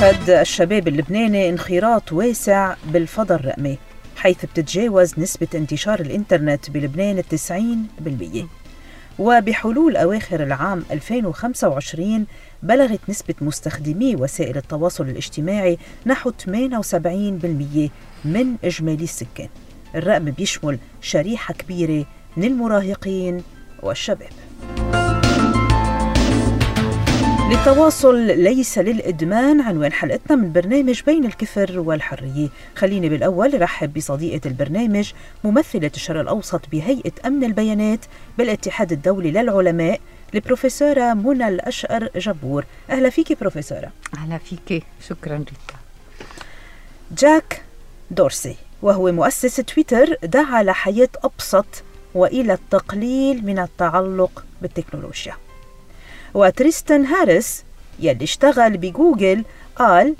يشهد الشباب اللبناني انخراط واسع بالفضاء الرقمي، حيث بتتجاوز نسبة انتشار الإنترنت بلبنان 90%. وبحلول أواخر العام 2025 بلغت نسبة مستخدمي وسائل التواصل الاجتماعي نحو 78% من إجمالي السكان. الرقم بيشمل شريحة كبيرة من المراهقين والشباب. للتواصل ليس للإدمان عنوان حلقتنا من برنامج بين الكفر والحرية. خليني بالأول رحب بصديقة البرنامج ممثلة الشرق الأوسط بهيئة أمن البيانات بالاتحاد الدولي للعلماء، البروفيسورة منى الأشقر جبور. أهلا فيكي بروفيسورة. أهلا فيكي، شكرا ريتا. جاك دورسي وهو مؤسس تويتر دعا لحياة أبسط وإلى التقليل من التعلق بالتكنولوجيا. وتريستان هاريس يلي اشتغل بجوجل قال: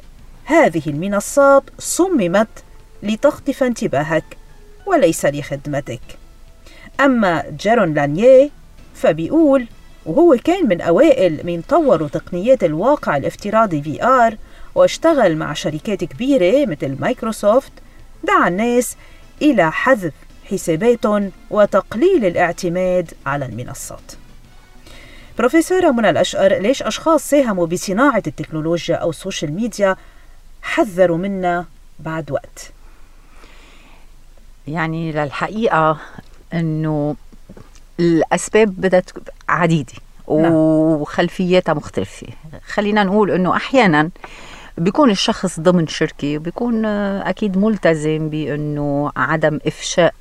هذه المنصات صممت لتخطف انتباهك وليس لخدمتك. أما جيرون لانيه فبيقول، وهو كان من أوائل من طوروا تقنيات الواقع الافتراضي VR واشتغل مع شركات كبيرة مثل مايكروسوفت، دعا الناس إلى حذف حساباتهم وتقليل الاعتماد على المنصات. بروفيسورة منى الأشقر، ليش أشخاص ساهموا بصناعة التكنولوجيا أو السوشيال ميديا حذروا منا بعد وقت؟ يعني للحقيقة أنه الأسباب بدت عديدة وخلفياتها مختلفة. خلينا نقول أنه أحيانا بيكون الشخص ضمن شركة وبيكون أكيد ملتزم بأنه عدم إفشاء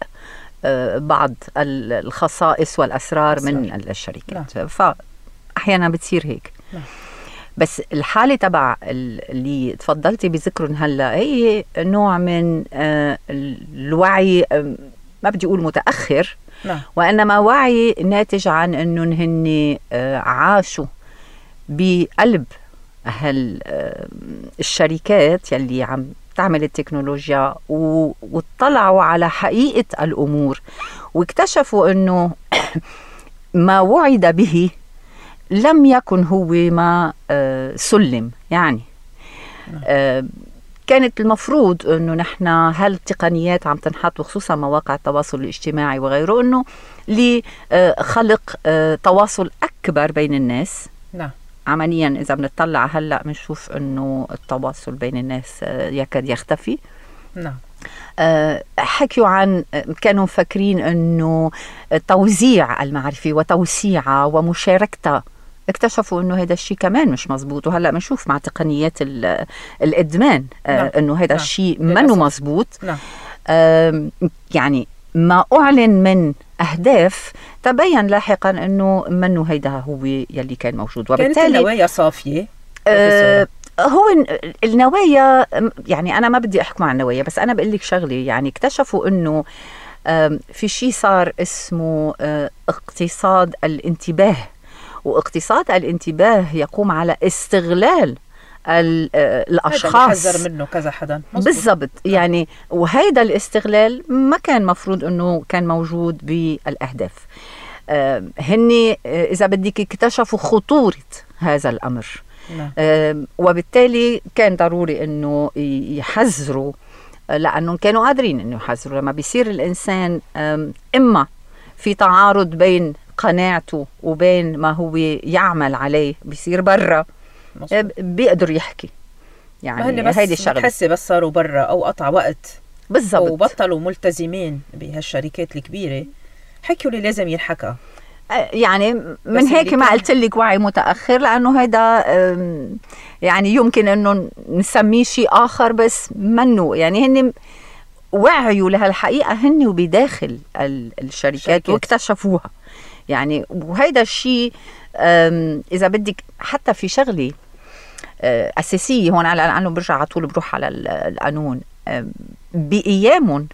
بعض الخصائص والأسرار من الشركات، فأحيانا بتصير هيك. بس الحالة تبع اللي تفضلتي بذكرهم هلأ هي نوع من الوعي، ما بدي أقول متأخر، وإنما وعي ناتج عن أنه هن عاشوا بقلب الشركات يلي عم تعمل التكنولوجيا واطلعوا على حقيقة الأمور واكتشفوا أنه ما وعد به لم يكن هو ما سلم. يعني كانت المفروض أنه نحن هالتقنيات عم تنحط، وخصوصا مواقع التواصل الاجتماعي وغيره، أنه لخلق تواصل أكبر بين الناس. نعم. عمليا إذا بنطلع هلأ بنشوف أنه التواصل بين الناس يكاد يختفي. نعم. حكيوا عن، كانوا فاكرين أنه توزيع المعرفة وتوسيعها ومشاركتها، اكتشفوا أنه هذا الشيء كمان مش مزبوط. وهلأ بنشوف مع تقنيات الإدمان أنه هذا الشيء منه مزبوط. يعني ما أعلن من أهداف تبين لاحقا أنه منه هيدا هو يلي كان موجود. وبالتالي كانت النوايا صافية. هو النوايا، يعني أنا ما بدي أحكم عن النوايا، بس أنا بقول لك شغلة. يعني اكتشفوا أنه في شيء صار اسمه اقتصاد الانتباه، واقتصاد الانتباه يقوم على استغلال الأشخاص. حذر منه كذا حدا بالضبط. يعني وهيدا الاستغلال ما كان مفروض أنه كان موجود بالأهداف. هني إذا بدك اكتشفوا خطورة هذا الأمر. وبالتالي كان ضروري أنه يحذروا، لأنهم كانوا قادرين أنه يحذروا. لما بيصير الإنسان إما في تعارض بين قناعته وبين ما هو يعمل عليه، بيصير برا بيقدر يحكي. يعني هيدي الشغله بتحسي بس صاروا برا او قطع وقت بالضبط وبطلوا ملتزمين بهالشركات الكبيره، حكوا اللي لازم ينحكى. يعني من هيك ما قلت لك وعي متاخر، لانه هيدا يعني يمكن انه نسميه شيء اخر بس منه. يعني هن وعيوا لهالحقيقه هن وبداخل الشركات واكتشفوها. يعني وهيدا الشيء اذا بدك حتى في شغله أساسية هون، لأنه برجع على طول بروح على القانون. بأيامهم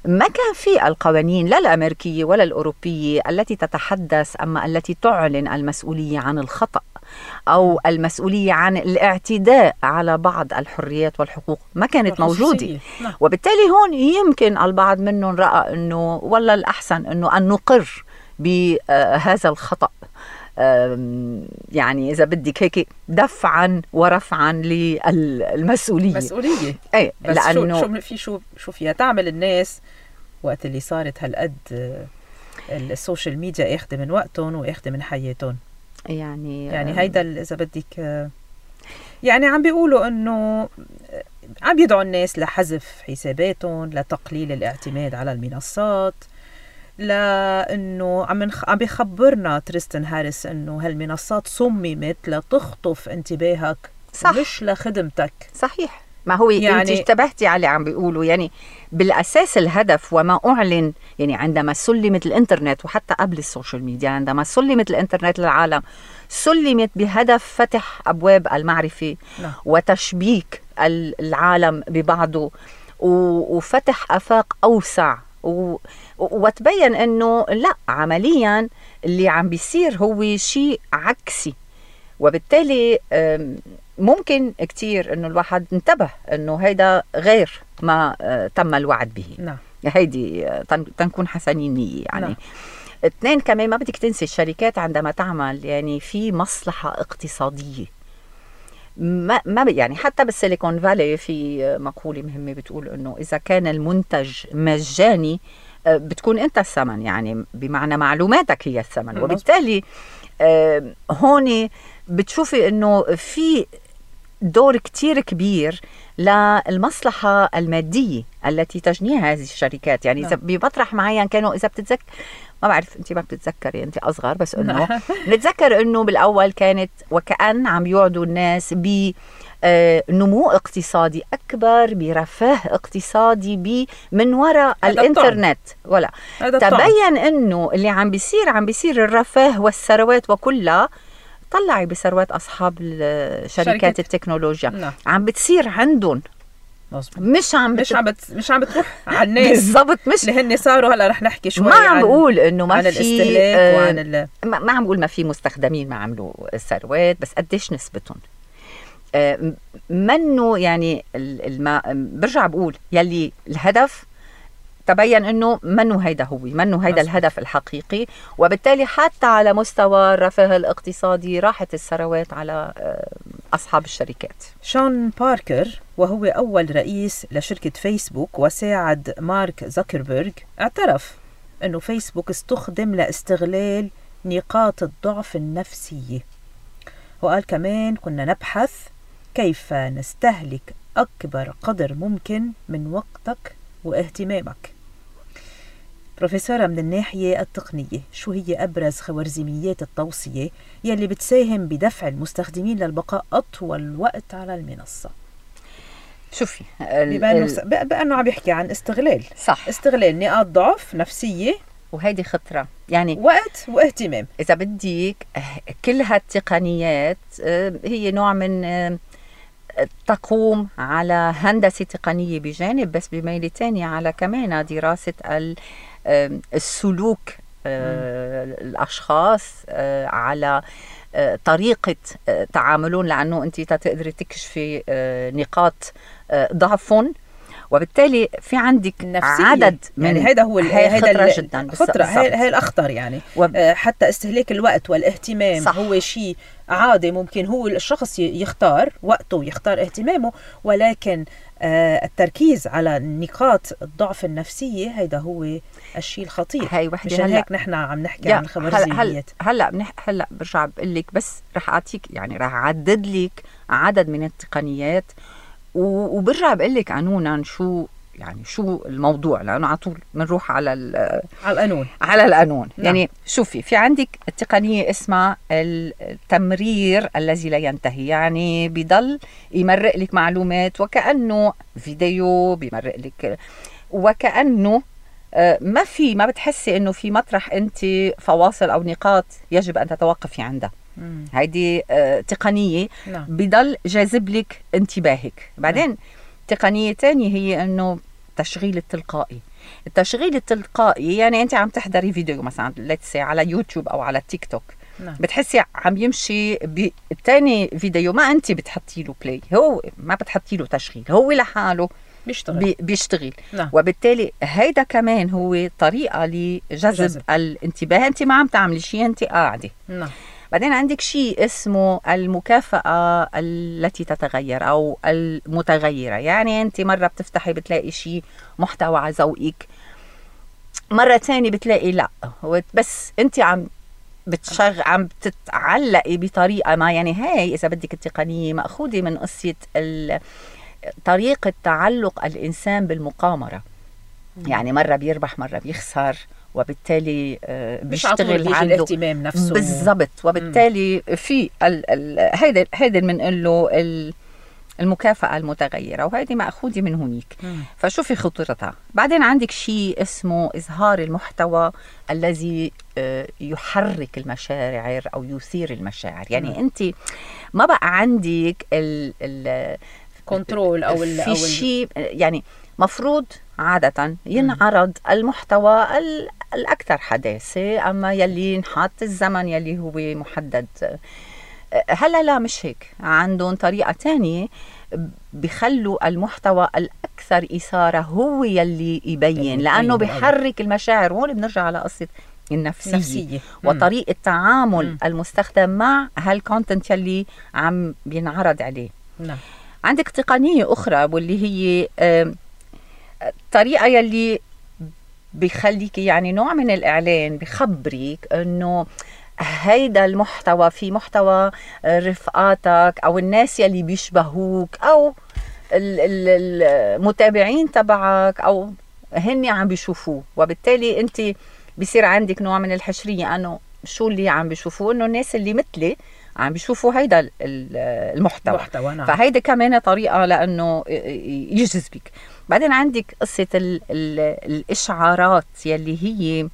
ما كان في القوانين لا الأمريكية ولا الأوروبية التي تتحدث أما التي تعلن المسؤولية عن الخطأ أو المسؤولية عن الاعتداء على بعض الحريات والحقوق، ما كانت موجودة. وبالتالي هون يمكن البعض منهم رأى أنه والله الأحسن أنه أن نقر بهذا الخطأ يعني إذا بدك هيك دفعا ورفعا للمسؤولية. ايه بس لأنه شو فيها تعمل الناس وقت اللي صارت هالقد السوشيال ميديا ياخد من وقتهم وياخد من حياتهم. يعني هيدا إذا بدك يعني عم بيقولوا إنه عم يدعوا الناس لحذف حساباتهم، لتقليل الاعتماد على المنصات، لأنه عم بيخبرنا تريستن هاريس إنه هالمنصات صممت لتخطف انتباهك، صح. مش لخدمتك. صحيح. ما هو يعني انت اشتبهتي على اللي عم بيقولوا. يعني بالأساس الهدف وما أعلن، يعني عندما سلمت الإنترنت وحتى قبل السوشيال ميديا، عندما سلمت الإنترنت للعالم سلمت بهدف فتح أبواب المعرفة وتشبيك العالم ببعضه وفتح آفاق أوسع، وتبين أنه لا، عمليا اللي عم بيصير هو شيء عكسي. وبالتالي ممكن كتير أنه الواحد انتبه أنه هيدا غير ما تم الوعد به. هيدي تنكون حسنين نية. يعني اثنين كمان، ما بدك تنسي الشركات عندما تعمل يعني في مصلحة اقتصادية. ما يعني حتى بالسيليكون فالي في مقولة مهمة بتقول أنه إذا كان المنتج مجاني بتكون أنت الثمن، يعني بمعنى معلوماتك هي الثمن. وبالتالي هون بتشوفي أنه في دور كتير كبير للمصلحة المادية التي تجنيها هذه الشركات. يعني إذا بمطرح معين كانوا، إذا بتتذكر، ما بعرف أنت ما بتتذكري، أنت أصغر، بس أنه نتذكر أنه بالأول كانت وكأن عم يوعدوا الناس بنمو اقتصادي أكبر، برفاه اقتصادي من وراء الإنترنت. ولا تبين أنه اللي عم بيصير الرفاه والثروات وكلها طلعي بثروات أصحاب شركات التكنولوجيا. عم بتصير عندهم، مش عم بتروح على الناس. بالضبط. مش اللي هن صاروا هلا رح نحكي شوي ما عم بقول انه ما عن في الاستهلاك وعن ما عم بقول ما في مستخدمين ما عملوا ثروات، بس قديش نسبتهم. منه يعني برجع بقول يلي الهدف تبين انه منه هيدا الهدف الحقيقي. وبالتالي حتى على مستوى الرفاه الاقتصادي راحت الثروات على اصحاب الشركات. شون باركر، وهو اول رئيس لشركة فيسبوك وساعد مارك زوكربيرغ، اعترف انه فيسبوك استخدم لاستغلال نقاط الضعف النفسية، وقال كمان كنا نبحث كيف نستهلك اكبر قدر ممكن من وقتك واهتمامك. بروفيسورة، من الناحية التقنية شو هي أبرز خوارزميات التوصية يلي بتساهم بدفع المستخدمين للبقاء أطول وقت على المنصة؟ شوفي بأنه عم يحكي عن استغلال. صح. استغلال نقاط ضعف نفسية، وهيدي خطرة، يعني وقت واهتمام. إذا بديك كل هالتقنيات هي نوع من تقوم على هندسة تقنية بجانب، بس بميل تاني على كمان دراسة السلوك الأشخاص، على طريقة تعاملون، لأنه أنت تقدري تكشفي نقاط ضعفهم. وبالتالي في عندك عدد من، يعني هيدا هو خطرة جدا. خطرة هي الأخطر يعني. حتى استهلاك الوقت والاهتمام. صح. هو شيء عادي، ممكن هو الشخص يختار وقته ويختار اهتمامه، ولكن التركيز على نقاط الضعف النفسية هيدا هو الشيء الخطير. مشان هيك نحن عم نحكي عن الخوارزميات. هلا برجع بقول لك، بس رح أعطيك يعني رح أعدد لك عدد من التقنيات، وبرجع بقول لك قانونا شو الموضوع، لأنه على طول بنروح على القانون. نعم. يعني شوفي، في عندك التقنية اسمها التمرير الذي لا ينتهي، يعني بيضل يمرق لك معلومات وكأنه فيديو بيمرق لك، وكأنه ما بتحسي انه في مطرح انت فواصل او نقاط يجب ان تتوقفي عندها. هيدي تقنية. نعم. بضل جاذب لك انتباهك. بعدين تقنية تانية هي انه التشغيل التلقائي، يعني انت عم تحضري فيديو مثلا على يوتيوب او على تيك توك. نعم. بتحسي عم يمشي بالتاني فيديو، ما انت بتحطي له بلاي، هو ما بتحطي له تشغيل، هو لحاله بيشتغل. نعم. وبالتالي هيدا كمان هو طريقة لجذب الانتباه. انت ما عم تعملي شيء، انت قاعدة. نعم. بعدين عندك شيء اسمه المكافأة التي تتغير أو المتغيرة. يعني أنت مرة بتفتحي بتلاقي شيء محتوى على ذوقك، مرة تانية بتلاقي لا، بس أنت عم بتتعلقي بطريقة ما. يعني هاي إذا بدك التقنية مأخوذة من قصة طريقة تعلق الإنسان بالمقامرة. يعني مرة بيربح مرة بيخسر، وبالتالي بيشتغل عنده الاهتمام نفسه بالضبط. وبالتالي في هيدا بنقول له المكافأة المتغيرة، وهذه مأخوذة من هونيك. فشوفي خطورتها. بعدين عندك شيء اسمه إظهار المحتوى الذي يحرك المشاعر أو يثير المشاعر. يعني أنت ما بقى عندك كنترول في شيء. يعني مفروض عادة ينعرض المحتوى الأكثر حداثة، أما يلي نحط الزمن يلي هو محدد. هلا لا، مش هيك، عندهم طريقة تانية بيخلوا المحتوى الأكثر إثارة هو يلي يبين، لأنه بيحرك المشاعر. هون بنرجع على قصة النفسية وطريقة التعامل المستخدم مع هالكونتنت يلي عم بينعرض عليه. عندك تقنية أخرى واللي هي طريقة يلي بيخليك يعني نوع من الإعلان بخبريك أنه هيدا المحتوى في محتوى رفقاتك أو الناس يلي بيشبهوك أو المتابعين تبعك أو هني عم بيشوفوه. وبالتالي أنت بيصير عندك نوع من الحشرية أنه شو اللي عم بيشوفوه، أنه الناس اللي مثلي عم بيشوفوا هيدا المحتوى. نعم. فهيدا كمان طريقة لأنه يجذبك. بعدين عندك قصة الإشعارات يلي هي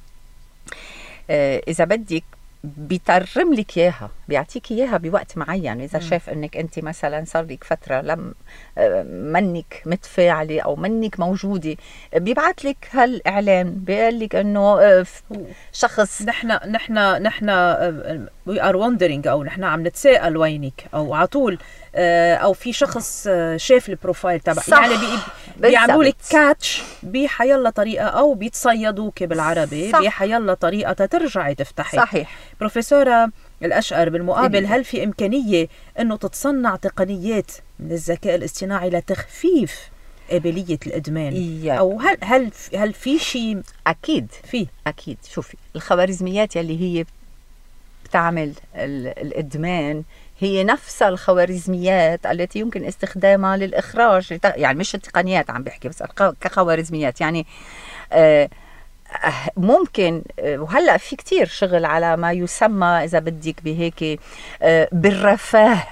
إذا بدك بيترم لك إياها، بيعطيك إياها بوقت معين. إذا شاف إنك أنت مثلا صار لك فترة لم منك متفاعلة أو منك موجودة، بيبعت لك هالإعلان بيقول لك إنه شخص نحن we are wondering، أو نحن عم نتساءل وينك، أو عطول أو في شخص شاف البروفايل تبع. يعني بيعملوا لك كاتش بحيالله طريقة، أو بيتصيدوك بالعربي بحيالله طريقة ترجعي تفتحي. صحيح. بروفيسورة الأشقر، بالمقابل هل في إمكانية أنه تتصنع تقنيات من الذكاء الاصطناعي لتخفيف قابلية الإدمان؟ أو هل في شيء؟ أكيد. شوفي الخوارزميات يلي هي بتعمل الإدمان هي نفس الخوارزميات التي يمكن استخدامها للإخراج. يعني مش التقنيات عم بحكي، بس كخوارزميات. يعني ممكن، وهلأ في كتير شغل على ما يسمى إذا بدك بهيك بالرفاه.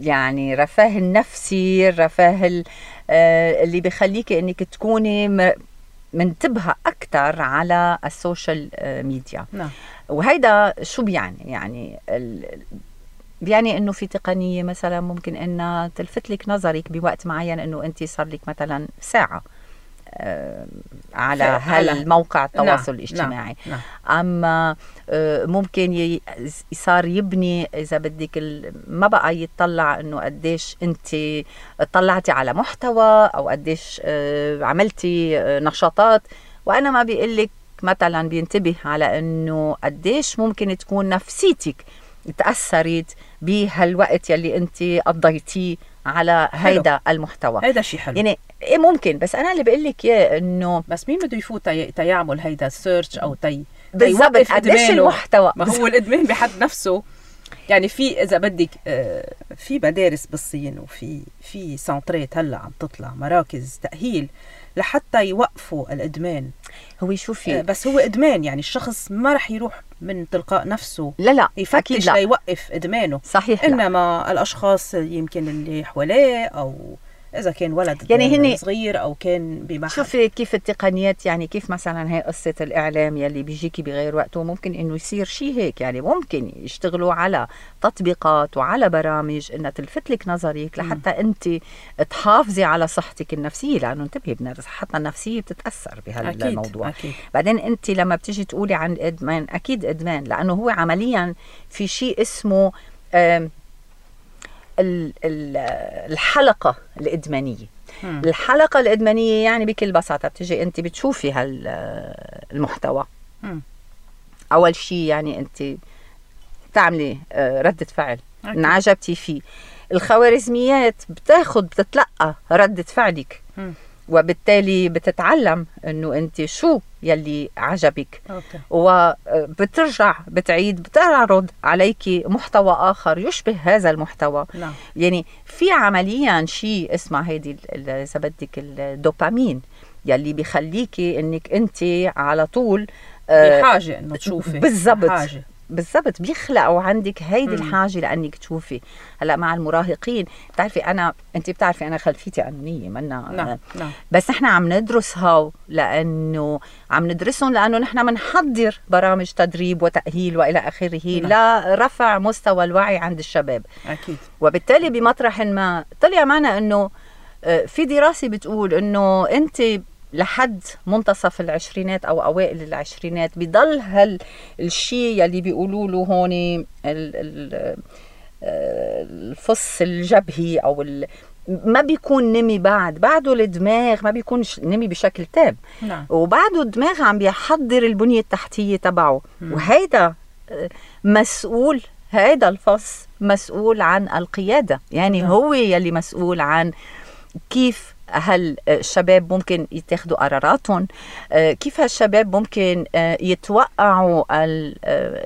يعني رفاه النفسي، الرفاه اللي بيخليك انك تكوني منتبهة أكتر على السوشيال ميديا. وهيدا شو بيعني بيعني انه في تقنية مثلا ممكن انها تلفت لك نظرك بوقت معين، انه انت صار لك مثلا ساعة على هالموقع التواصل الاجتماعي. أما ممكن صار يبني إذا بدك ما بقى يتطلع إنه قديش أنت طلعتي على محتوى أو قديش عملتي نشاطات، وأنا ما بيقلك مثلا بينتبه على إنه قديش ممكن تكون نفسيتك تأثرت بهالوقت يلي أنت قضيتيه على هيدا المحتوى. هيدا شيء حلو. يعني إيه ممكن، بس أنا اللي بقول لك إياه إنه بس مين بده يفوت يعمل هيدا سيرش أو بالضبط قديش المحتوى. ما هو الإدمان بحد نفسه. يعني في إذا بدك في مدارس بالصين وفي سنترات هلا عم تطلع مراكز تأهيل لحتى يوقفوا الإدمان. هو شوفي بس هو إدمان، يعني الشخص ما رح يروح من تلقاء نفسه لا يفتش ليوقف إدمانه. صحيح. إنما الأشخاص يمكن اللي حواليه، أو إذا كان ولد يعني هني صغير أو كان بمحل. شوفي كيف التقنيات، يعني كيف مثلا هي قصة الإعلام يلي بيجيكي بغير وقته، ممكن إنه يصير شيء هيك. يعني ممكن يشتغلوا على تطبيقات وعلى برامج إنها تلفت لك نظرك لحتى أنت تحافظي على صحتك النفسية، لأنه انتبهي صحتنا النفسية بتتأثر بهالموضوع. أكيد. بعدين أنت لما بتيجي تقولي عن الإدمان، أكيد إدمان، لأنه هو عمليا في شيء اسمه الحلقة الإدمانية. الحلقة الإدمانية يعني بكل بساطة بتجي أنت بتشوفي هالمحتوى. أول شيء يعني أنت بتعملي ردة فعل انعجبتي فيه. الخوارزميات بتتلقى ردة فعلك، وبالتالي بتتعلم انه انت شو يلي عجبك. وبترجع بتعرض عليك محتوى اخر يشبه هذا المحتوى. يعني في عمليا شيء اسمه هيدي اذا بدك الدوبامين يلي بيخليكي انك انت على طول بحاجه انه تشوفي. بالضبط بيخلقوا عندك هيدي الحاجه لانك تشوفي. هلا مع المراهقين انت بتعرفي انا خلفيتي قانونيه منا. نعم. بس احنا عم ندرسها لانه نحن بنحضر برامج تدريب وتاهيل والى اخره لرفع مستوى الوعي عند الشباب. اكيد. وبالتالي بمطرح ما طلع معنا انه في دراسه بتقول انه انت لحد منتصف العشرينات أو أوائل العشرينات بيضل الشيء يلي بيقولوا له هون الفص الجبهي أو ما بيكون نمي بعده الدماغ ما بيكون نمي بشكل تام. وبعده الدماغ عم بيحضر البنية التحتية تبعه. وهيدا مسؤول، هيدا الفص مسؤول عن القيادة. يعني هو يلي مسؤول عن كيف هالشباب ممكن يتخذوا قراراتهم، كيف هالشباب ممكن يتوقعوا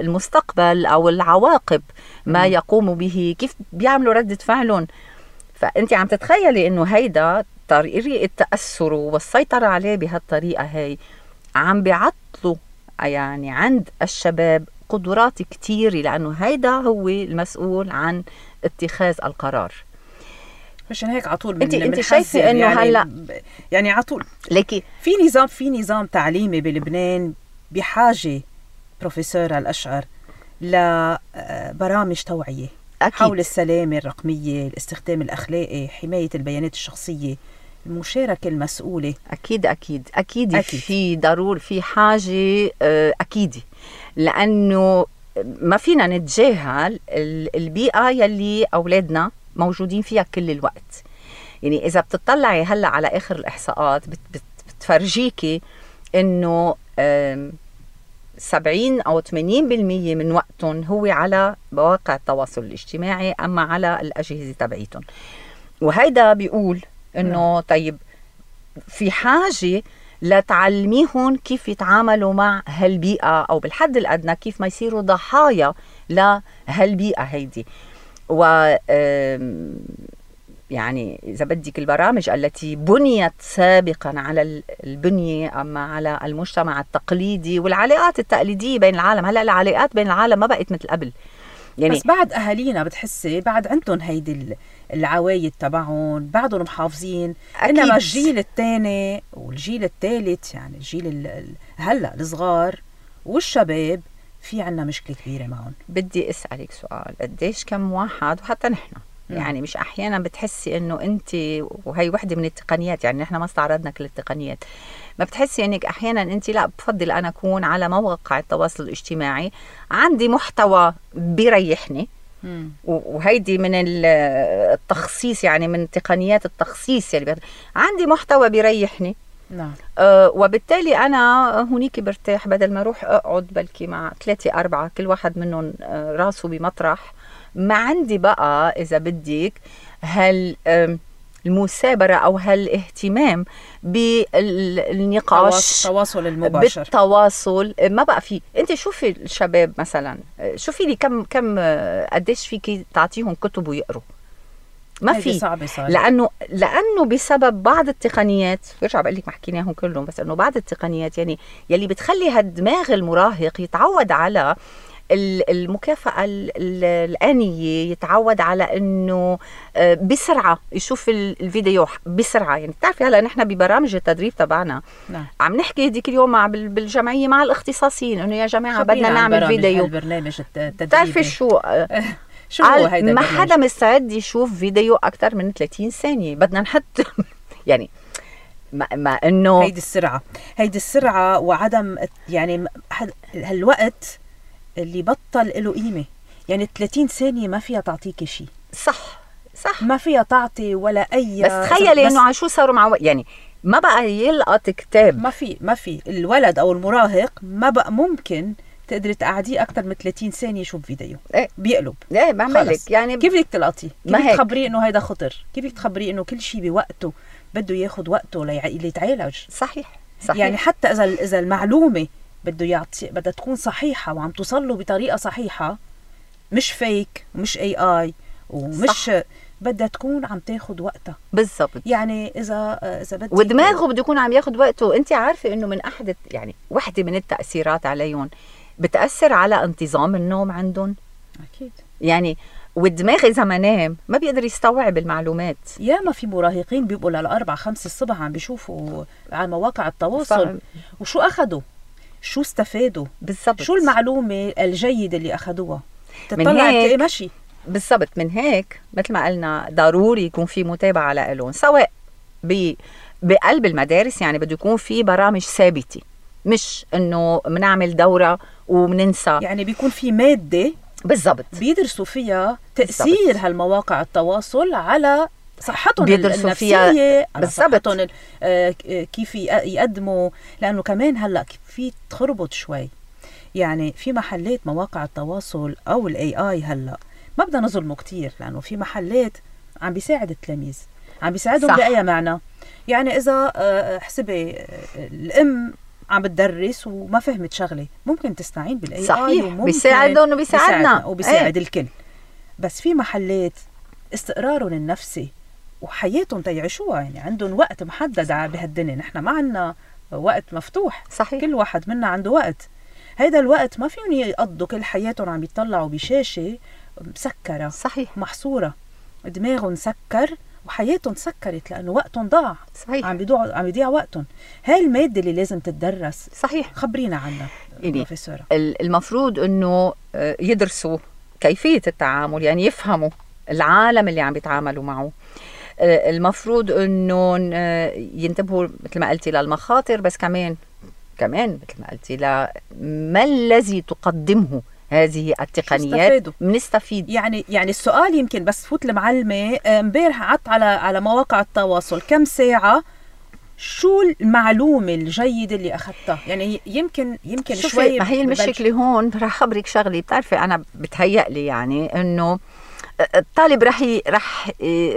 المستقبل أو العواقب ما يقوموا به، كيف بيعملوا ردة فعلهم. فأنت عم تتخيلي إنه هيدا طريقة تأثره والسيطرة عليه بهالطريقة هاي عم بيعطلوا يعني عند الشباب قدرات كتيرة، لأنه هيدا هو المسؤول عن اتخاذ القرار. مشان هيك عطول انت شايفه انه هلا يعني عطول لكن في نظام تعليمي بلبنان بحاجه بروفيسور الاشعر لبرامج توعيه حول السلامه الرقميه، الاستخدام الاخلاقي، حمايه البيانات الشخصيه، المشاركه المسؤوله. اكيد في ضروري في حاجه اكيد، لانه ما فينا نتجاهل البيئه يلي اولادنا موجودين فيها كل الوقت. يعني إذا بتطلعي هلأ على آخر الإحصاءات بتفرجيكي إنه 70 أو 80% من وقتهم هو على مواقع التواصل الاجتماعي، أما على الأجهزة تبعيتهم. وهيدا بيقول إنه طيب في حاجة لتعلميهم كيف يتعاملوا مع هالبيئة، أو بالحد الأدنى كيف ما يصيروا ضحايا لهالبيئة هيدي. و يعني إذا بدك البرامج التي بنيت سابقا على البنية أما على المجتمع التقليدي والعلاقات التقليدية بين العالم، هلأ العلاقات بين العالم ما بقت مثل قبل. يعني بس بعد أهالينا بتحسي بعد عندهم هيدي العوايد تبعهم، بعدهم محافظين. إنما الجيل الثاني والجيل الثالث، يعني الجيل هلأ الصغار والشباب، في عنا مشكلة كبيرة معهم. بدي أسألك سؤال، قديش كم واحد وحتى نحن يعني مش أحيانا بتحسي إنه أنت، وهي وحدة من التقنيات، يعني نحن ما استعرضنا كل التقنيات، ما بتحسي إنك أحيانا أنت لا بفضل أنا أكون على مواقع التواصل الاجتماعي عندي محتوى بيريحني، وهيدي من التخصيص، يعني من تقنيات التخصيص، يعني عندي محتوى بيريحني. نعم. وبالتالي أنا هونيك برتاح، بدل ما أروح أقعد بلكي مع 3-4 كل واحد منهم راسه بمطرح. ما عندي بقى إذا بدك المثابرة أو هالاهتمام بالنقاش، التواصل المباشر، بالتواصل ما بقى فيه. انت شوفي الشباب مثلا، شوفي لي كم قديش فيكي تعطيهم كتب ويقروا، ما في. لأنه بسبب بعض التقنيات، برجع بقول لك ما حكيناهم كلهم، بس انه بعض التقنيات يعني يلي بتخلي هالدماغ المراهق يتعود على المكافأة الآنية، يتعود على انه بسرعة يشوف الفيديو بسرعة. يعني بتعرفي هلا نحن ببرامج التدريب تبعنا عم نحكي هديك اليوم بالجمعية مع الاختصاصيين انه يا جماعة بدنا نعمل فيديو. البرنامج التدريبي بتعرفي شو هو هيدا؟ ما حدا مستعد يشوف فيديو أكتر من 30 ثانية. بدنا نحط يعني ما انه هيدي السرعة وعدم يعني هالوقت اللي بطل له قيمة. يعني 30 ثانية ما فيها تعطيكي شيء. صح ما فيها تعطي ولا أي. بس تخيلي انه عشو صاروا مع يعني ما بقى يلقط كتاب. ما في الولد أو المراهق ما بقى ممكن تقدري تقعديه اكثر من 30 ثانيه يشوف فيديو ايه بيقلب. ايه بعمل لك يعني كيف بدك تلقطيه؟ كيف بدك هيك. تخبريه انه هيدا خطر؟ كيف بدك تخبريه انه كل شيء بوقته بده ياخذ وقته ليتعالج؟ صحيح يعني حتى اذا المعلومه بده يعطي بدها تكون صحيحه وعم توصل له بطريقه صحيحه، مش فيك ومش AI ومش بدها تكون عم تاخد وقتها بالضبط. يعني اذا بدي ودماغه بده يكون عم ياخد وقته. انت عارفه انه من احد يعني وحده من التاثيرات عليهم بتاثر على انتظام النوم عندهم. اكيد يعني والدماغ اذا ما نام ما بيقدر يستوعب المعلومات. ياما في مراهقين بيبقوا لل4 5 الصبح عم بيشوفوا على مواقع التواصل وشو اخذوا، شو استفادوا بالضبط، شو المعلومه الجيده اللي اخذوها. من تطلع هيك تلاقي مشي. بالضبط. من هيك مثل ما قلنا ضروري يكون في متابعه لهم، سواء بقلب المدارس، يعني بده يكون في برامج ثابته، مش انه بنعمل دوره وبننسى. يعني بيكون في ماده بالضبط بيدرسوا فيها تاثير هالمواقع التواصل على صحتهم بيدرسوا فيها على بالضبط صحتهم كيف يقدموا. لانه كمان هلا في تخربط شوي، يعني في محلات مواقع التواصل او الAI هلا ما بدنا نظلمه كتير، لانه في محلات عم بيساعد التلاميذ، عم بيساعدهم بأي معنى. يعني اذا حسبي الام عم بتدرس وما فهمت شغله ممكن تستعين بالAI. صحيح، بيساعدهم وبيساعدنا وبيساعد الكل. بس في محلات استقرارهم النفسي وحياتهم تيعيشوها، يعني عندهم وقت محدد بهالدنيا. نحن ما عندنا وقت مفتوح. صحيح. كل واحد منا عنده وقت، هيدا الوقت ما فيهم يقضوا كل حياتهم عم يطلعوا بشاشة مسكرة. صحيح. محصورة، دماغهم سكر وحياتهم سكرت لأنه وقتهم ضاع. صحيح. عم يضيع وقتهم. هاي المادة اللي لازم تتدرس. صحيح. خبرينا عنها بروفيسورة. المفروض انه يدرسوا كيفية التعامل، يعني يفهموا العالم اللي عم بيتعاملوا معه. المفروض انه ينتبهوا مثل ما قلتي للمخاطر، بس كمان مثل ما قلتي ما الذي تقدمه هذه التقنيات بنستفيد. يعني السؤال يمكن بس فوت المعلمة امبارح قعدت على مواقع التواصل كم ساعة، شو المعلومة الجيدة اللي أخذتها؟ يعني يمكن شوي. ما هي المشكلة هون. رح خبرك شغلي، بتعرفي أنا بتهيألي يعني إنه الطالب رح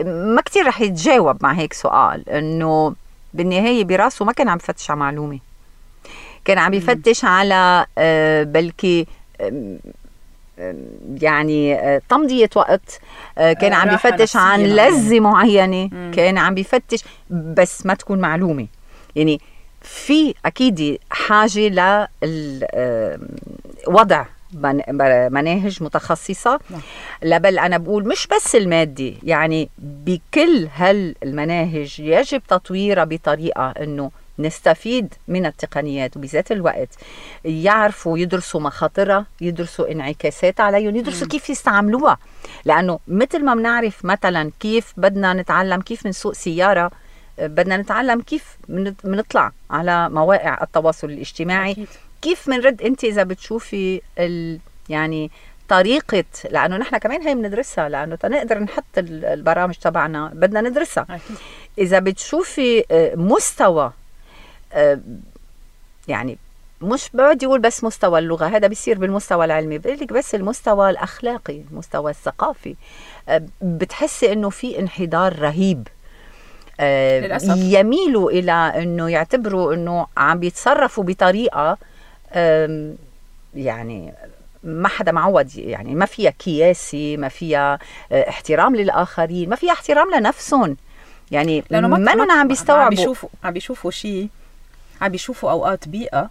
ما كتير رح يتجاوب مع هيك سؤال، إنه بالنهاية براسه ما كان عم يفتش على معلومة، كان عم يفتش على بلكي يعني تمضية وقت، كان عم يفتش عن لذة معينة، كان عم يفتش بس ما تكون معلومة. يعني في أكيد حاجة لوضع مناهج متخصصة. بل أنا بقول مش بس المادي، يعني بكل هالمناهج يجب تطويرها بطريقة أنه نستفيد من التقنيات، وبذات الوقت يعرفوا يدرسوا مخاطرها، يدرسوا انعكاسات عليهم، يدرسوا كيف يستعملوها. لأنه مثل ما بنعرف مثلا كيف بدنا نتعلم كيف نسوق سيارة، بدنا نتعلم كيف منطلع على مواقع التواصل الاجتماعي. أكيد. كيف منرد انت اذا بتشوفي يعني طريقة، لأنه نحن كمان هي بندرسها، لأنه تنقدر نحط البرامج تبعنا بدنا ندرسها. أكيد. إذا بتشوفي مستوى، يعني مش بدي أقول بس مستوى اللغة، هذا بيصير بالمستوى العلمي، بقولك بس المستوى الأخلاقي، المستوى الثقافي، بتحسي إنه في انحدار رهيب. للأسف. يميلوا إلى إنه يعتبروا إنه عم بيتصرفوا بطريقة يعني ما حدا معود، يعني ما فيها كياسي، ما فيها احترام للآخرين، ما فيها احترام لنفسهم. يعني ما عم بيستوعبوا، عم بيشوفوا شيء، عم بيشوفوا أوقات بيئة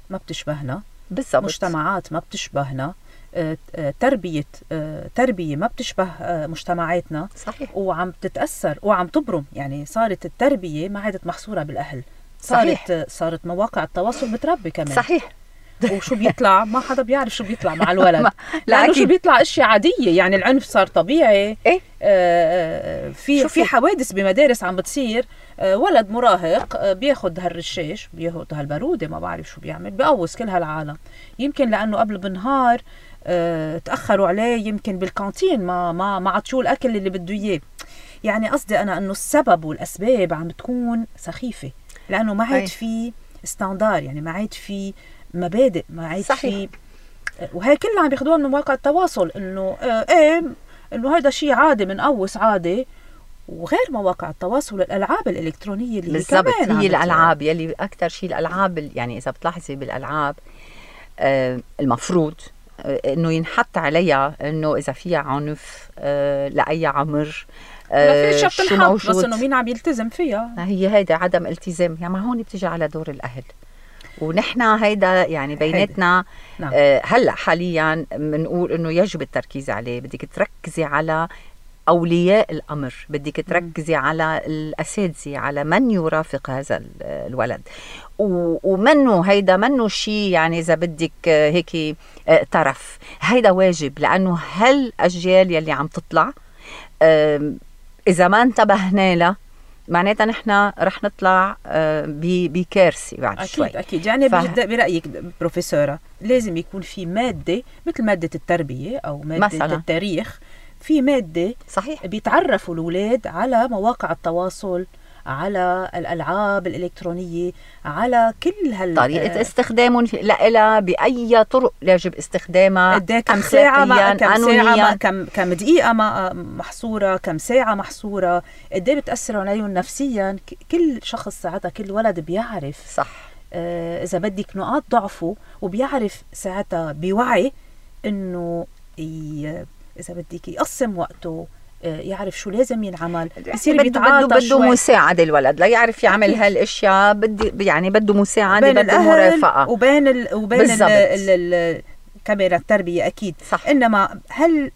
ما بتشبهنا. بالضبط. مجتمعات ما بتشبهنا، تربية ما بتشبه مجتمعاتنا. صحيح. وعم تتأثر وعم تبرم. يعني صارت التربية ما عادت محصورة بالأهل، صارت مواقع التواصل بتربي كمان. صحيح. وشو بيطلع ما حدا بيعرف شو بيطلع مع الولد. لأنه شو بيطلع اشياء عادية، يعني العنف صار طبيعي. إيه؟ في حوادث بمدارس عم بتصير، ولد مراهق بياخد هالرشاش، بياخد هالبارودة، ما بعرف شو بيعمل، بيقوص كل هالعالم. يمكن لأنه قبل بنهار تأخروا عليه، يمكن بالكانتين ما عطشوه الأكل اللي بده إياه. يعني قصدي أنا أنه السبب والأسباب عم تكون سخيفة، لأنه ما عاد في ستاندار، يعني ما عاد في مبادئ، ما عاد في وهي كلها عم بياخدوها من مواقع التواصل انه ايه انه هذا شيء عادي من قوس عادي. وغير مواقع التواصل الالعاب الالكترونيه اللي بالضبط هي الالعاب يلي اكثر شيء الالعاب يعني اذا بتلاحظي بالالعاب المفروض انه ينحط عليها انه اذا فيها عنف لاي عمر شو موجود، بس انه مين عم يلتزم فيها. هي هيدا عدم التزام يعني. ما هون بتيجي على دور الاهل، ونحن هيدا يعني بيناتنا نعم. هلا حاليا بنقول انه يجب التركيز عليه. بدك تركزي على أولياء الأمر، بدك تركزي على الأساتذة، على من يرافق هذا الولد، ومنه هيدا منه شيء يعني إذا بدك هيك طرف. هيدا واجب، لأنه هالأجيال يلي عم تطلع إذا ما انتبهنا لها معناتها نحن رح نطلع بكارثة بعد أكيد شوي. أكيد يعني برأيك بروفيسورة لازم يكون في مادة مثل مادة التربية أو مادة مثلاً التاريخ، في مادة صحيح بيتعرفوا الأولاد على مواقع التواصل، على الألعاب الإلكترونية، على كل طريقة استخدامهم لها، بأي طرق يجب استخدامها، كم ساعة كم دقيقة محصورة، كم ساعة محصورة، قديه بتأثر عليهم نفسيا. كل شخص ساعتها كل ولد بيعرف صح إذا بدك نقاط ضعفه، وبيعرف ساعتها بوعي إنه إذا بدك يقسم وقته، يعرف شو لازم ينعمل، يصير بده مساعدة الولد لا يعرف يعمل هالاشياء، يعني بده مساعدة، بده مرافقة وبين كمان التربية أكيد صح. إنما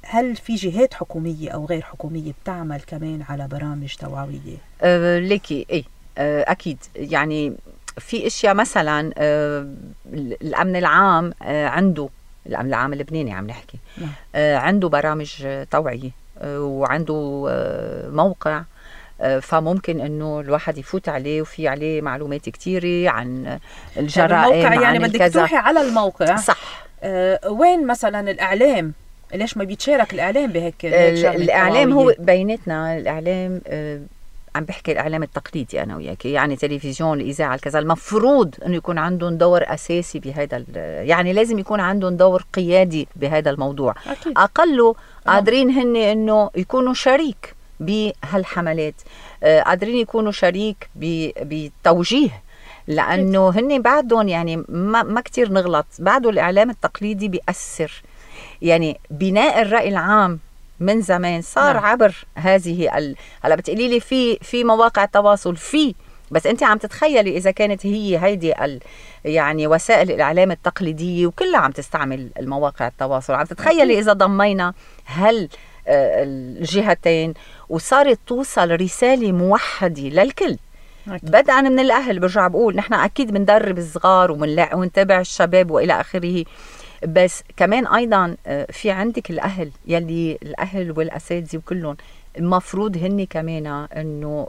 هل في جهات حكومية أو غير حكومية بتعمل كمان على برامج توعوية؟ ليكي إيه أكيد يعني في اشياء مثلا الأمن العام عنده، الأمن العام اللبناني عم نحكي عنده برامج توعية وعنده موقع، فممكن انه الواحد يفوت عليه وفي عليه معلومات كتيرة عن الجرائم. الموقع يعني بدك تروحي على الموقع صح. وين مثلا الإعلام؟ ليش ما بيتشارك الإعلام بهيك الإعلام هو بيناتنا الإعلام عم بحكي الإعلام التقليدي أنا وياك، يعني تلفزيون، الإذاعة، الكذا، المفروض أنه يكون عندهم دور أساسي بهذا، يعني لازم يكون عندهم دور قيادي بهذا الموضوع. أكيد. أقله قادرين هن أنه يكونوا شريك بهالحملات، قادرين يكونوا شريك بتوجيه، لأنه هن بعدهم يعني ما كتير نغلط، بعده الإعلام التقليدي بيأثر. يعني بناء الرأي العام من زمان صار عبر هذه هلا بتقولي لي في مواقع تواصل بس انت عم تتخيلي اذا كانت هي هيدي يعني وسائل الاعلام التقليديه وكلها عم تستعمل المواقع التواصل، عم تتخيلي اذا ضمينا الجهتين وصارت توصل رساله موحده للكل بدءا من الاهل. برجع بقول نحن اكيد بندرب الصغار ونتابع الشباب والى اخره، بس كمان أيضا في عندك الأهل، يلي الأهل والأساتذة وكلهم المفروض هن كمان أنه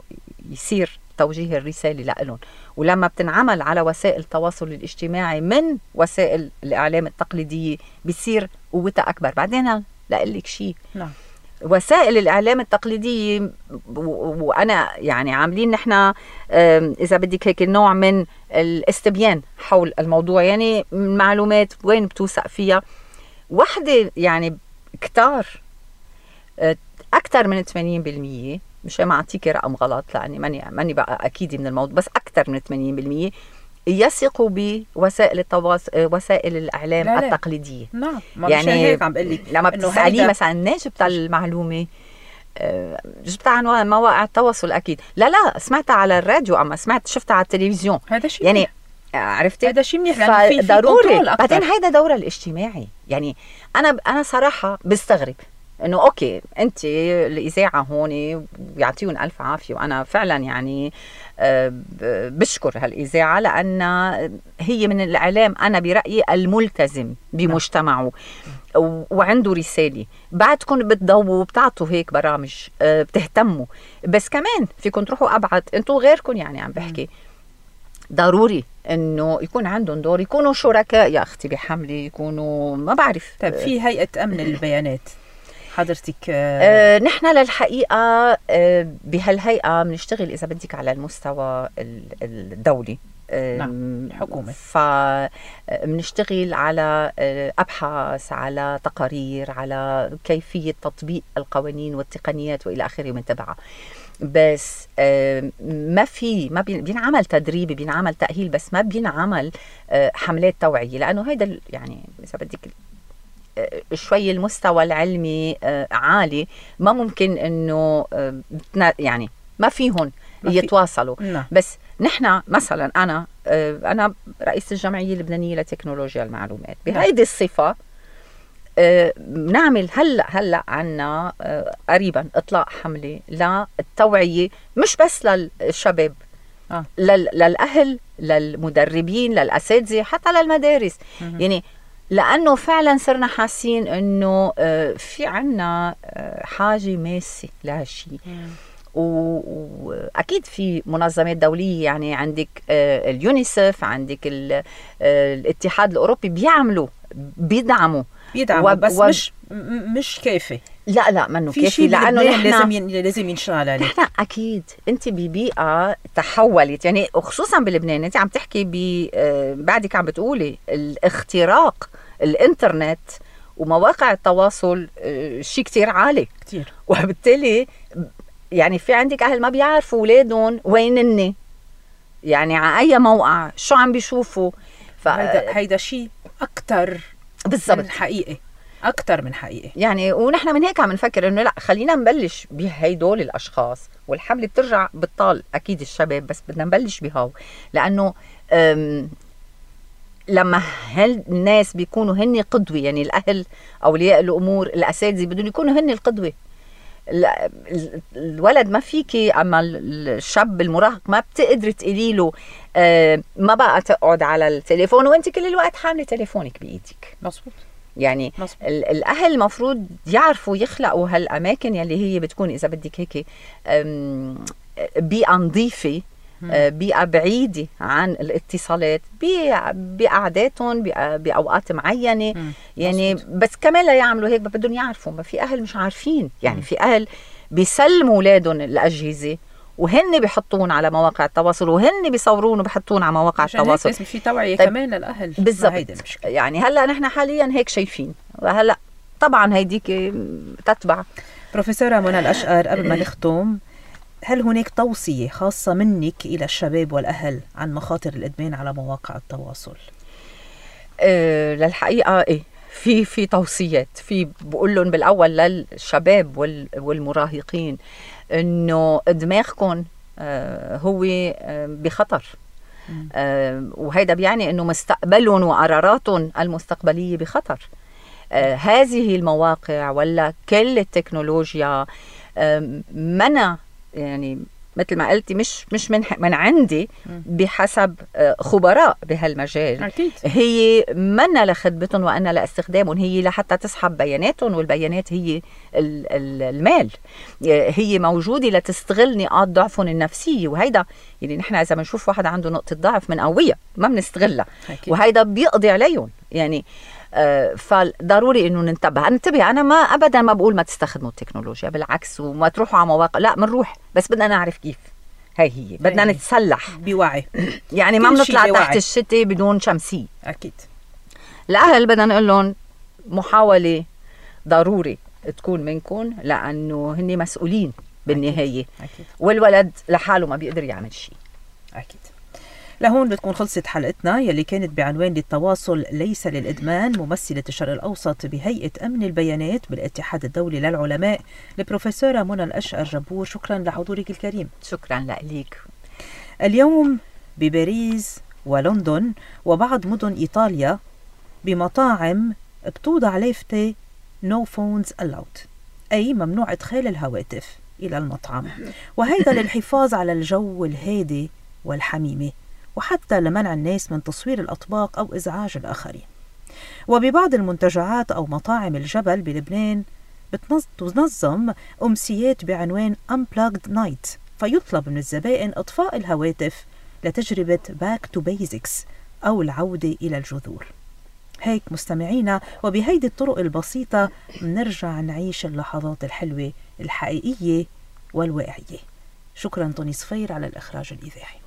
يصير توجيه الرسالة لهم. ولما بتنعمل على وسائل التواصل الاجتماعي من وسائل الإعلام التقليدية بيصير قوتها أكبر. بعدين لأقلك شيء، وسائل الإعلام التقليدية وأنا يعني عاملين نحن إذا بدك هيك نوع من الاستبيان حول الموضوع، يعني المعلومات وين بتوثق فيها. وحدة يعني كتار أكثر من 80%، مش ما أعطيك رقم غلط لأني ماني بقى أكيد من الموضوع، بس أكثر من 80% يثقوا بوسائل التواصل، وسائل الإعلام التقليدية. نعم، يعني هيك عم بقول لك لما بتسأليه مثلا جبت المعلومة، جبتها عن مواقع التواصل أكيد، لا سمعتها على الراديو، أما شفتها على التلفزيون. هذا شيء يعني عرفتي هذا شيء منيح، لأنه في ضروري. بعدين هيدا دورها الاجتماعي. يعني أنا صراحة بستغرب انه اوكي انت الاذاعه هون بيعطيهم الف عافيه، وانا فعلا يعني بشكر هالاذاعه لان هي من الاعلام انا برايي الملتزم بمجتمعه وعنده رساله. بعدكم بتضووا وبتعطوا هيك برامج بتهتموا، بس كمان فيكم تروحوا ابعد انتم غيركم. يعني عم بحكي ضروري انه يكون عندهم دور، يكونوا شركاء يا اختي بحمله، يكونوا ما بعرف. طيب في هيئه امن البيانات حضرتك؟ نحن للحقيقة بهالهيئة بنشتغل إذا بدك على المستوى الدولي، الحكومة. فبنشتغل على أبحاث، على تقارير، على كيفية تطبيق القوانين والتقنيات وإلى آخره من تبعها. بس ما بينعمل تدريبي، بينعمل تأهيل، بس ما بينعمل حملات توعية، لأنه هيدا يعني إذا بدك شوي المستوى العلمي عالي، ما ممكن إنه يعني ما فيهم يتواصلوا. بس نحن مثلا أنا رئيس الجمعية اللبنانية لتكنولوجيا المعلومات، بهيدي الصفة نعمل هلأ عنا قريبا إطلاق حملة للتوعية، مش بس للشباب، للأهل، للمدربين، للأساتذة، حتى للمدارس. يعني لأنه فعلا صرنا حاسين أنه في عنا حاجة ماسة لهالشي. وأكيد في منظمات دولية، يعني عندك اليونيسف، عندك الاتحاد الأوروبي بيدعموا بس مش كافي. لا منه كافي، لأنه لازم ينشغل عليه. نحن أكيد أنت ببيئة تحولت، يعني خصوصا بلبنان. أنت عم تحكي بعدك عم بتقولي الاختراق الإنترنت ومواقع التواصل شيء كتير عالي كتير، وبالتالي يعني في عندك أهل ما بيعرفوا أولادهم وينني، يعني على أي موقع شو عم بيشوفوا. هيدا شيء أكتر بالضبط من حقيقي، أكتر من حقيقي يعني. ونحن من هيك عم نفكر إنه لا، خلينا نبلش بهيدول الأشخاص، والحملة بترجع بالطال أكيد الشباب، بس بدنا نبلش بهاو، لأنه لما هالناس بيكونوا هن قدوة، يعني الأهل، أولياء الأمور، الأساتذة بدهم يكونوا هن القدوة. الولد ما فيكي، أما الشاب المراهق ما بتقدر تقولي له ما بقى تقعد على التليفون وانت كل الوقت حاملة تليفونك بإيدك. مظبوط. يعني الأهل مفروض يعرفوا يخلقوا هالأماكن يلي هي بتكون إذا بدك هيك بيئة نظيفة، بيئة بعيدة عن الاتصالات، بقعداتهم بأوقات معينة. يعني بس كمان لا يعملوا هيك بدهم يعرفوا. ما في أهل مش عارفين، يعني في أهل بيسلموا أولادهم الأجهزة وهن بيحطون على مواقع التواصل، وهن بيصورون وبيحطون على مواقع التواصل. في توعية كمان للأهل. بالضبط. يعني هلأ نحن حاليا هيك شايفين، وهلأ طبعا هيديك تتبع. بروفيسورة منى الأشقر، قبل ما نختم، هل هناك توصية خاصة منك إلى الشباب والأهل عن مخاطر الإدمان على مواقع التواصل؟ للحقيقة في توصيات. بقول لهم بالأول للشباب والمراهقين إنه دماغكم هو بخطر، وهذا بيعني إنه مستقبلهم وقراراتهم المستقبلية بخطر. هذه المواقع ولا كل التكنولوجيا منع، يعني مثل ما قلتي مش من عندي، بحسب خبراء بهالمجال. أكيد. هي منا لخدمتهم وأنا لاستخدامهم، هي لحتى تسحب بياناتهم، والبيانات هي المال، هي موجودة لتستغل نقاط ضعفهم النفسية. وهيدا يعني نحن إذا بنشوف واحد عنده نقطة ضعف من قوية ما بنستغلها، وهيدا بيقضي عليهم يعني. فضروري انه ننتبه. انا ما ابدا ما بقول ما تستخدموا التكنولوجيا، بالعكس، وما تروحوا على مواقع، لا بنروح، بس بدنا نعرف كيف. هي بدنا نتسلح بوعي، يعني ما بنطلع تحت الشتاء بدون شمسية. اكيد. الاهل بدنا نقول لهم محاولة ضروري تكون منكم، لانه هن مسؤولين بالنهاية. أكيد. والولد لحاله ما بيقدر يعمل شيء. اكيد. لهون بتكون خلصت حلقتنا يلي كانت بعنوان للتواصل ليس للإدمان، ممثلة الشرق الأوسط بهيئة أمن البيانات بالاتحاد الدولي للعلماء، البروفيسورة منى الأشقر جبور. شكرا لحضورك الكريم. شكرا لك. اليوم بباريس ولندن وبعض مدن إيطاليا بمطاعم بتوضع لافتة No phones allowed، أي ممنوع إدخال الهواتف إلى المطعم، وهذا للحفاظ على الجو الهادي والحميمي، وحتى لمنع الناس من تصوير الأطباق أو إزعاج الآخرين. وببعض المنتجعات أو مطاعم الجبل بلبنان بتنظم أمسيات بعنوان Unplugged Night، فيطلب من الزبائن إطفاء الهواتف لتجربة Back to Basics أو العودة إلى الجذور. هيك مستمعينا، وبهيدي الطرق البسيطة منرجع نعيش اللحظات الحلوة الحقيقية والواقعية. شكرا طوني صفير على الإخراج الإذاعي.